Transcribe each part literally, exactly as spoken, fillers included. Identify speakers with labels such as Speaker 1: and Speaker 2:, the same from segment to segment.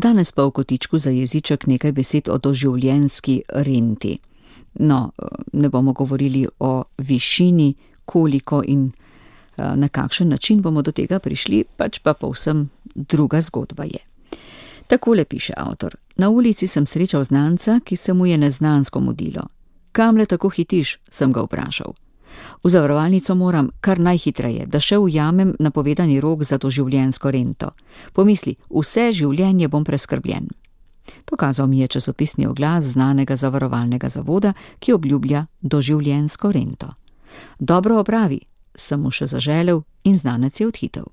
Speaker 1: Danes pa v kotičku za jeziček nekaj besed o doživljenjski renti. No, ne bomo govorili o višini, koliko in na kakšen način bomo do tega prišli, pač pa povsem druga zgodba je. Takole piše avtor. Na ulici sem srečal znanca, ki se mu je neznansko mudilo. Kamle tako hitiš, sem ga vprašal. V zavarovalnico moram kar najhitreje, da še ujamem napovedani rok za doživljenjsko rento. Pomisli, vse življenje bom preskrbljen. Pokazal mi je časopisni oglas znanega zavarovalnega zavoda, ki obljublja doživljenjsko rento. Dobro opravi, sem mu še zaželel in znanec je odhitel.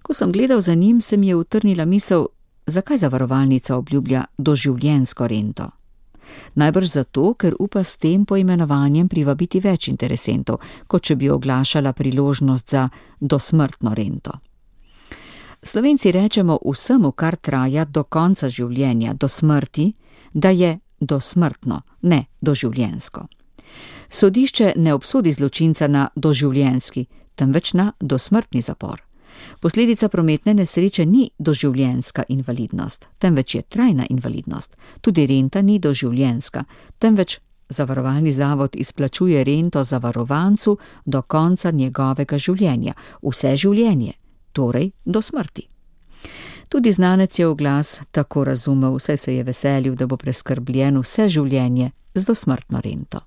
Speaker 1: Ko sem gledal za njim, se mi je utrnila misel, zakaj zavarovalnica obljublja doživljenjsko rento. Najbrž zato, ker upa s tem poimenovanjem privabiti več interesentov, kot če bi oglašala priložnost za dosmrtno rento. Slovenci rečemo vsemu, kar traja do konca življenja, do smrti, da je dosmrtno, ne doživljenjsko. Sodišče ne obsodi zločinca na doživljenjski, temveč na dosmrtni zapor. Posledica prometne nesreče ni doživljenjska invalidnost, temveč je trajna invalidnost. Tudi renta ni doživljenjska, temveč zavarovalni zavod izplačuje rento zavarovancu do konca njegovega življenja, vse življenje, torej do smrti. Tudi znanec je oglas tako razumel, saj se je veselil, da bo preskrbljen vse življenje z dosmrtno rento.